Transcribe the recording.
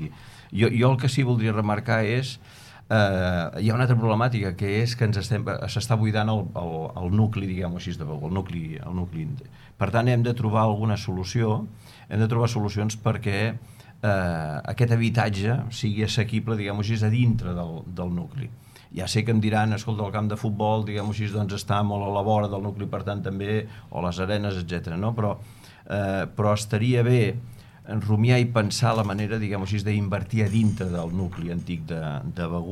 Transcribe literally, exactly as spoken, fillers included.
sigui, jo, jo el que sí voldria remarcar és Uh, hi ha una altra problemàtica, que és que ens estem, s'està buidant el, el, el nucli, diguem-ho així, de Begur, el nucli, el nucli. Per tant, hem de trobar alguna solució, hem de trobar solucions perquè uh, aquest habitatge sigui assequible, diguem-ho així, a dintre del, del nucli. Ja sé que em diran, escolta, el camp de futbol, diguem-ho així, doncs està molt a la vora del nucli, per tant també, o les arenes, etcètera. No? Però, uh, però estaria bé rumiar i pensar la manera, diguem-ho així, d'invertir a dintre del nucli antic de, de Begur,